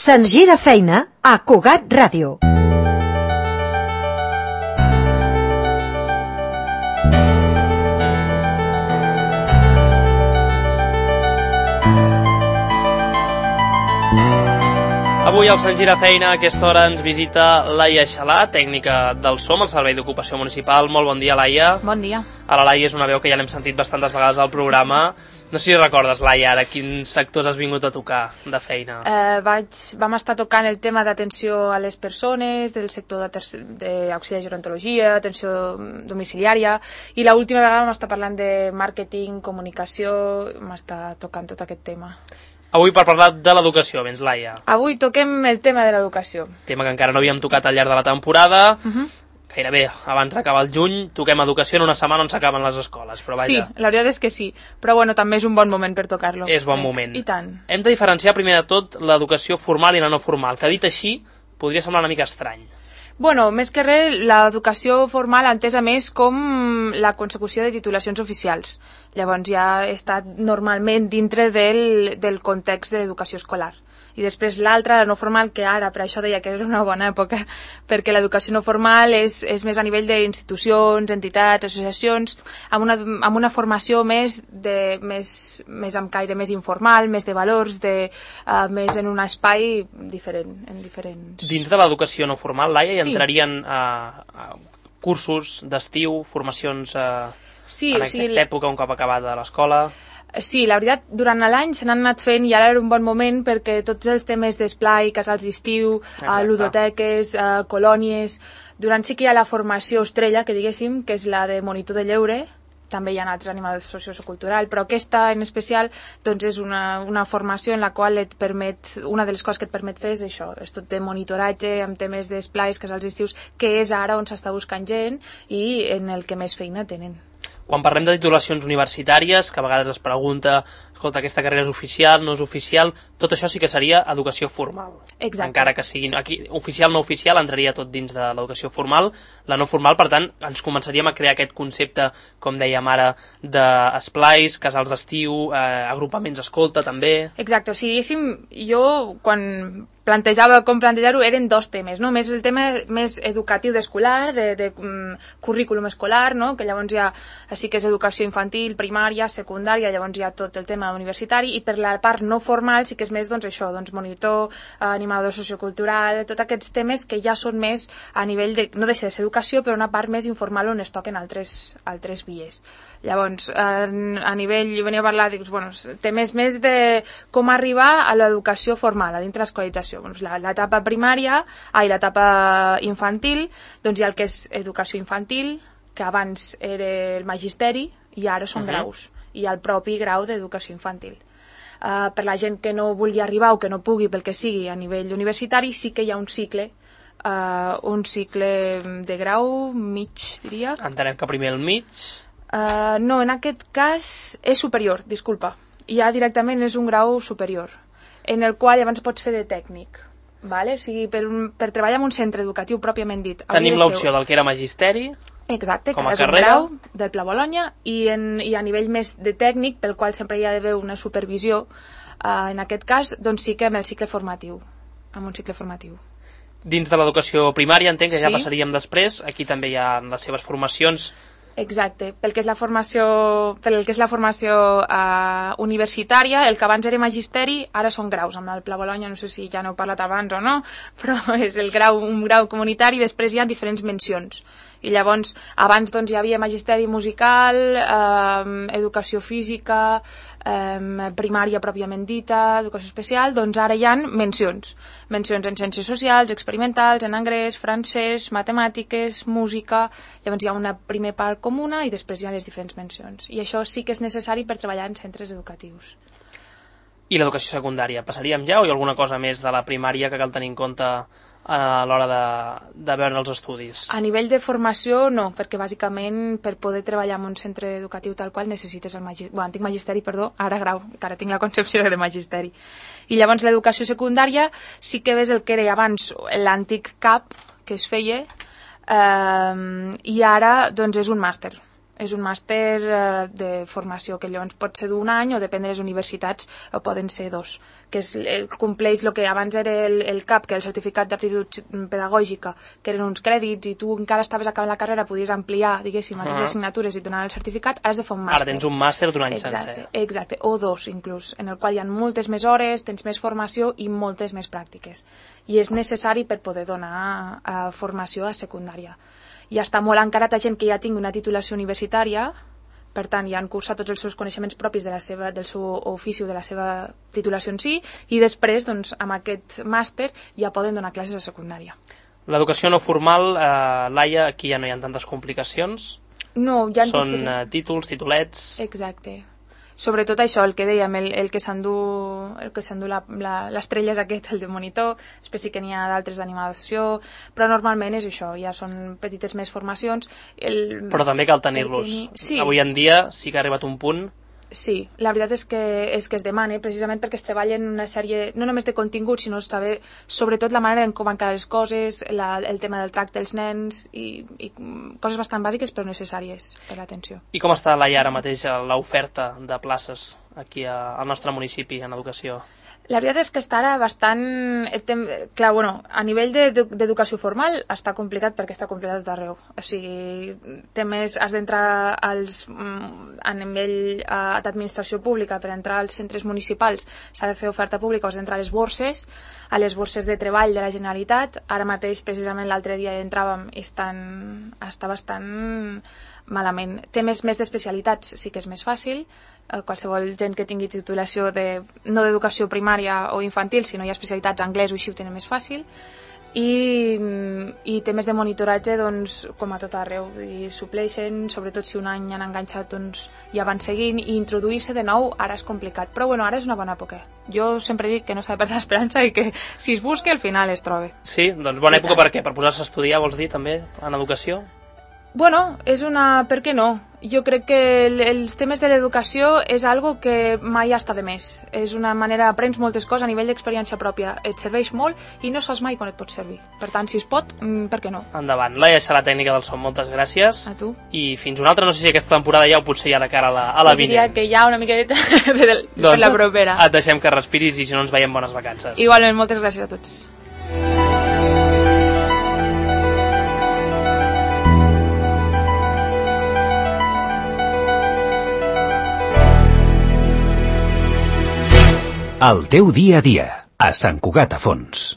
Se'ns gira feina a Cugat Ràdio. Avui al Sant Gira Feina a aquesta hora ens visita Laia Xalà, tècnica del SOM, el Servei d'Ocupació Municipal. Molt bon dia, Laia. Bon dia. A la Laia és una veu que ja l'hem sentit bastantes vegades al programa. No sé si recordes, Laia, ara quins sectors has vingut a tocar de feina. Vam estar tocant el tema d'atenció a les persones, del sector d'auxiliar de gerontologia, atenció domiciliària, i l'última vegada vam estar parlant de màrqueting, comunicació, vam estar tocant tot aquest tema. Avui per parlar de l'educació, vens, Laia. Avui toquem el tema de l'educació. Tema que encara no havíem tocat al llarg de la temporada. Gairebé abans d'acabar el juny toquem educació en una setmana on s'acaben les escoles, però vaja. Sí, la veritat és que sí, però bueno, també és un bon moment per tocar-lo. És bon moment. I tant. Hem de diferenciar primer de tot l'educació formal i la no formal, que dit així podria semblar una mica estrany. Bueno, més que res, l'educació formal entesa més com la consecució de titulacions oficials. Llavors ja està normalment dintre del context de l'educació escolar. I després l'altra, la no formal, que ara per això deia que és una bona època, perquè l'educació no formal és més a nivell d'institucions, entitats, associacions, amb una formació més amb caire més informal, més de valors, més en un espai diferent. Dins de l'educació no formal, Laia, hi entrarien cursos d'estiu, formacions en aquesta època, un cop acabada l'escola. Sí, la veritat, durant l'any se n'han anat fent i ara era un bon moment perquè tots els temes d'esplai, casals d'estiu, ludoteques, colònies, durant sí que hi ha la formació estrella, que diguéssim, que és la de monitor de lleure, també hi ha altres animadors socioculturals, però aquesta en especial doncs és una formació en la qual et permet, una de les coses que et permet fer és això, és tot de monitoratge amb temes d'esplais, casals d'estius, que és ara on s'està buscant gent i en el que més feina tenen. Quan parlem de titulacions universitàries, que a vegades es pregunta, escolta, aquesta carrera és oficial, no és oficial, tot això sí que seria educació formal. Exacte. Encara que siguin aquí, oficial no oficial, entraria tot dins de l'educació formal. La no formal, per tant, ens començaríem a crear aquest concepte, com dèiem ara, d'esplais, casals d'estiu, agrupaments escolta, també. Exacte, o sigui, jo quan plantejava com plantejar-ho eren dos temes, no? Més el tema més educatiu d'escolar, de currículum escolar, no? Que llavors ja sí que és educació infantil, primària, secundària, llavors hi ha tot el tema universitari, i per la part no formal sí que és més doncs això, doncs monitor, animador sociocultural, tots aquests temes que ja són més a nivell de, no deixa de ser educació, però una part més informal on es toquen altres vies. Llavors, a nivell, jo venia a parlar de temes més de com arribar a l'educació formal, a dintre l'escolarització. L'etapa primària, l'etapa infantil, doncs hi ha el que és educació infantil, que abans era el magisteri i ara són graus, i el propi grau d'educació infantil. Per la gent que no vulgui arribar o que no pugui, pel que sigui, a nivell universitari, sí que hi ha un cicle de grau mig, diria. Entenem que primer el mig. No, en aquest cas és superior, disculpa. Ja directament és un grau superior, en el qual llavors pots fer de tècnic. Vale? O sigui, per treballar en un centre educatiu pròpiament dit. Tenim l'opció del que era magisteri. Exacte, com que a és un carrera. grau del Pla Bologna, i a nivell més de tècnic, pel qual sempre hi ha d'haver una supervisió, en aquest cas, doncs sí que amb el cicle formatiu, amb un cicle formatiu. Dins de l'educació primària, entenc que ja Sí. passaríem després, aquí també hi ha les seves formacions. Exacte, pel que és la formació universitària, el que abans era magisteri, ara són graus, amb el Pla Bologna, no sé si ja n'heu parlat abans o no, però és un grau comunitari, i després hi ha diferents mencions. I llavors, abans doncs, hi havia magisteri musical, educació física, primària pròpiament dita, educació especial, doncs ara hi ha mencions en ciències socials, experimentals, en anglès, francès, matemàtiques, música. Llavors hi ha una primera part comuna i després hi ha les diferents mencions, i això sí que és necessari per treballar en centres educatius. I l'educació secundària, passaríem ja, o hi ha alguna cosa més de la primària que cal tenir en compte a l'hora de veure els estudis? A nivell de formació no, perquè bàsicament per poder treballar en un centre educatiu tal qual necessites antic magisteri, ara grau, que ara tinc la concepció de magisteri. I llavors l'educació secundària sí que ves el que era abans l'antic CAP que es feia, i ara doncs és un màster. És un màster de formació que llavors pot ser d'un any o depèn de les universitats o poden ser 2, que compleix el que abans era el CAP, que era el certificat d'aptitud pedagògica, que eren uns crèdits i tu encara estaves acabant la carrera, podies ampliar, diguéssim, aquestes assignatures i et donar el certificat, ara has de fer un màster. Ara tens un màster d'un any sencer. Exacte, o 2 inclús, en el qual hi ha moltes més hores, tens més formació i moltes més pràctiques. I és necessari per poder donar formació a secundària. I està molt encarat a gent que ja tingui una titulació universitària, per tant, ja han cursat tots els seus coneixements propis del seu ofici o de la seva titulació en si, i després, doncs, amb aquest màster ja poden donar classes a secundària. L'educació no formal, Laia, aquí ja no hi ha tantes complicacions? No, ja són títols, titulets... Exacte. Sobretot això, el que dèiem, el que s'endú l'estrella és aquest, el de monitor, després sí que n'hi ha d'altres d'animació, però normalment és això, ja són petites més formacions. Però també cal tenir-los. Sí. Avui en dia sí que ha arribat un punt... Sí, la veritat és que es demana, precisament perquè es treballen una sèrie, no només de contingut, sinó saber sobretot la manera en com van quedar les coses, el tema del tracte dels nens i coses bastant bàsiques però necessàries per l'atenció. I com està, Laia, ara mateix l'oferta de places aquí al nostre municipi en educació? La veritat és que està ara bastant... Clar, bueno, a nivell d'educació formal està complicat perquè està complicat tot arreu. O sigui, has d'entrar a nivell d'administració pública. Per entrar als centres municipals s'ha de fer oferta pública, has d'entrar a les borses de treball de la Generalitat. Ara mateix, precisament l'altre dia entràvem i està bastant malament. Temes més d'especialitats sí que és més fàcil. Qualsevol gent que tingui titulació no d'educació primària o infantil, sinó hi ha especialitats anglès o així ho tenen més fàcil, i temes de monitoratge, doncs, com a tot arreu, i supleixen, sobretot si un any han enganxat, doncs ja van seguint, i introduir-se de nou ara és complicat, però bueno, ara és una bona època. Jo sempre dic que no s'ha de perdre l'esperança i que si es busca al final es troba. Sí, doncs bona època per què? Per posar-se a estudiar, vols dir, també, en educació? Bueno, per què no? Jo crec que els temes de l'educació és algo que mai està de més. És una manera, aprens moltes coses a nivell d'experiència pròpia. Et serveix molt i no saps mai quan et pot servir. Per tant, si es pot, per què no? Endavant. Laia Xalà, tècnica del so, moltes gràcies. A tu. I fins una altra, no sé si aquesta temporada ja o potser ja de cara a la vinent. Diria que ja una miqueta per la propera. Et deixem que respiris i si no ens veiem bones vacances. Igualment, moltes gràcies a tots. El teu dia a dia, a Sant Cugat a Fons.